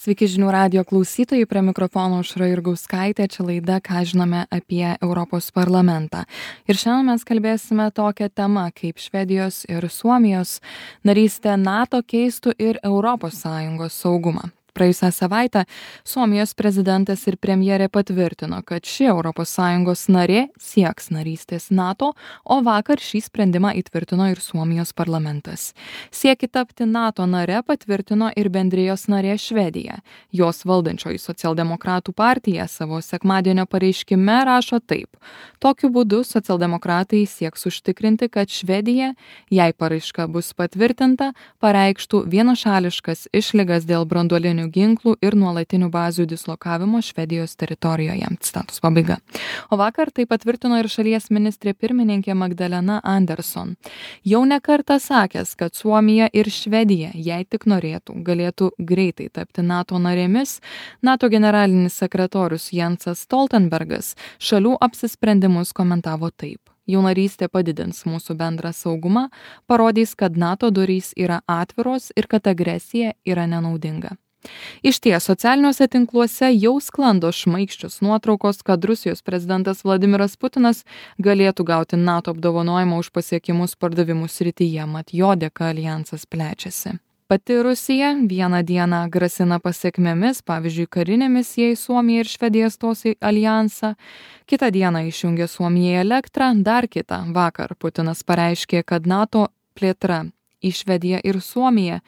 Sveiki žinių radijo klausytojai, prie mikrofono Aušra Jurgauskaitė, čia laida Ką žinome apie Europos parlamentą. Ir šiandien mes kalbėsime tokią temą, kaip Švedijos ir Suomijos narystė NATO keistų ir ES saugumą. Praėjusią savaitę Suomijos prezidentas ir premjerė patvirtino, kad ši ES narė sieks narystės NATO, o vakar šį sprendimą įtvirtino ir Suomijos parlamentas. Siekį tapti NATO nare patvirtino ir bendrijos narė Švedija. Jos valdančioji socialdemokratų partija savo sekmadienio pareiškime rašo taip. Tokiu būdu socialdemokratai sieks užtikrinti, kad Švedija, jei paraiška bus patvirtinta, pareikštų vienašališkas išlygas dėl branduolinių ginklų ir nuolatinių bazių dislokavimo Švedijos teritorijoje. Citatos pabaiga. O vakar tai patvirtino ir šalies ministrė pirmininkė Magdalena Andersson. Jau ne kartą sakęs, kad Suomija ir Švedija, jei tik norėtų, galėtų greitai tapti NATO narėmis, NATO generalinis sekretorius Jensas Stoltenbergas šalių apsisprendimus komentavo taip. Jų narystė padidins mūsų bendrą saugumą, parodys, kad NATO durys yra atviros ir kad agresija yra nenaudinga. Išties, socialiniuose tinkluose jau sklando šmaikščios nuotraukos, kad Rusijos prezidentas Vladimiras Putinas galėtų gauti NATO apdovanojimą už pasiekimus pardavimų srityje, mat jo dėka aljansas plečiasi. Pati Rusija vieną dieną grasina pasiekmėmis, pavyzdžiui, karinėmis, jei Suomija ir Švedija stos į aljansą, kitą dieną išjungia Suomijai elektrą, dar kitą vakar Putinas pareiškė, kad NATO plėtra į Švediją ir Suomiją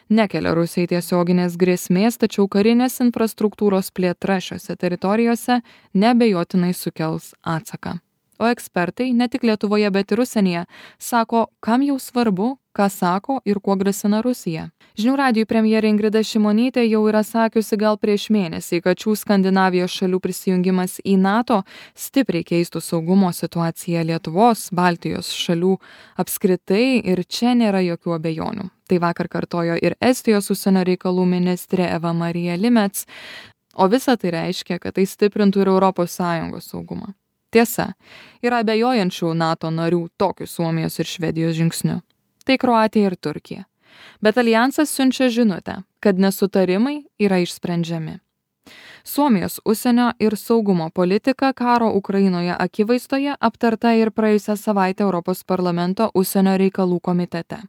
nekelia Rusijai tiesioginės grėsmės, tačiau karinės infrastruktūros plėtra šiose teritorijose neabejotinai sukels atsaką. O ekspertai, ne tik Lietuvoje, bet ir užsienyje, sako, kam jau svarbu, ką sako ir kuo grasina Rusija. Žinių radijui premjerė Ingrida Šimonytė jau yra sakiusi gal prieš mėnesį, kad šių Skandinavijos šalių prisijungimas į NATO stipriai keistų saugumo situaciją Lietuvos, Baltijos šalių apskritai ir čia nėra jokių abejonių. Tai vakar kartojo ir Estijos užsienio reikalų ministrė Eva Marija Limets, o visa tai reiškia, kad tai stiprintų ir ES saugumą. Tiesa, yra abejojančių NATO narių tokiu Suomijos ir Švedijos žingsniu. Tai Kroatija ir Turkija. Bet aljansas siunčia žinutę, kad nesutarimai yra išsprendžiami. Suomijos užsienio ir saugumo politika karo Ukrainoje akivaizdoje aptarta ir praėjusią savaitę Europos parlamento užsienio reikalų komitete.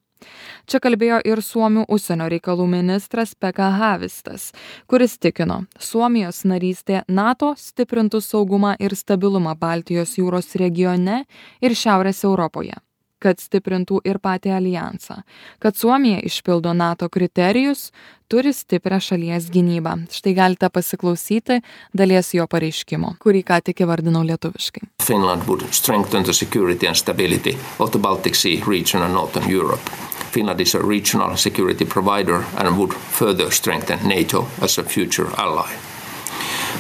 Čia kalbėjo ir Suomių užsienio reikalų ministras Pekka Haavistas, kuris tikino, Suomijos narystė NATO stiprintų saugumą ir stabilumą Baltijos jūros regione ir Šiaurės Europoje, kad stiprintų ir patį aljansą, kad Suomija išpildo NATO kriterijus, turi stiprią šalies gynybą. Štai galite pasiklausyti dalies jo pareiškimo, kurį ką tik įvardinau lietuviškai. Finland would strengthen the security and stability of the Baltic Sea region and Northern Europe. Finland is a regional security provider and would further strengthen NATO as a future ally.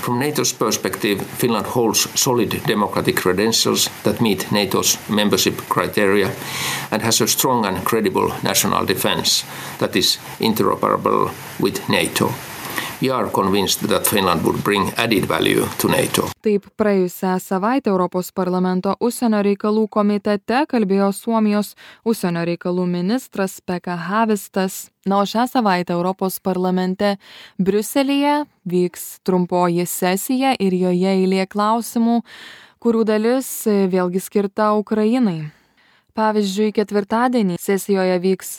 From NATO's perspective, Finland holds solid democratic credentials that meet NATO's membership criteria and has a strong and credible national defense that is interoperable with NATO. We are convinced that Finland would bring added value to NATO. Taip, praėjusią savaitę Europos parlamento užsienio reikalų komitete kalbėjo Suomijos užsienio reikalų ministras Pekka Haavistas. Na, o šią savaitę Europos parlamente Briuselyje vyks trumpoji sesija ir joje eilė klausimų, kurių dalis vėlgi skirta Ukrainai. Pavyzdžiui, ketvirtadienį sesijoje vyks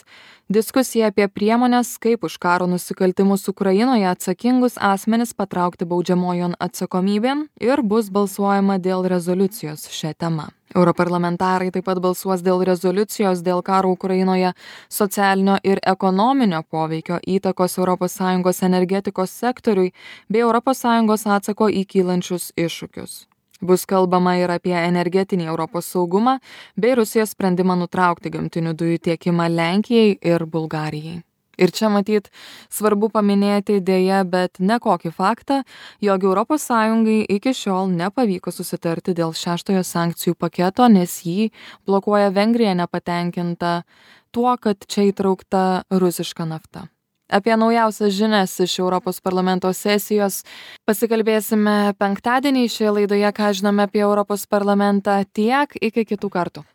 diskusija apie priemonės, kaip už karo nusikaltimus Ukrainoje atsakingus asmenis patraukti baudžiamojon atsakomybėn ir bus balsuojama dėl rezoliucijos šią temą. Europarlamentarai taip pat balsuos dėl rezoliucijos dėl karo Ukrainoje socialinio ir ekonominio poveikio įtakos ES energetikos sektoriui bei ES atsako į kylančius iššūkius. Bus kalbama ir apie energetinį Europos saugumą bei Rusijos sprendimą nutraukti gamtinių dujų tiekimą Lenkijai ir Bulgarijai. Ir čia matyt svarbu paminėti dėja, bet ne kokį faktą, jog ES iki šiol nepavyko susitarti dėl 6 sankcijų paketo, nes jį blokuoja Vengrija nepatenkinta tuo, kad čia įtraukta rusiška nafta. Apie naujausias žinias iš Europos parlamento sesijos pasikalbėsime penktadienį šioje laidoje, ką žinome apie Europos parlamentą. Tiek, iki kitų kartų.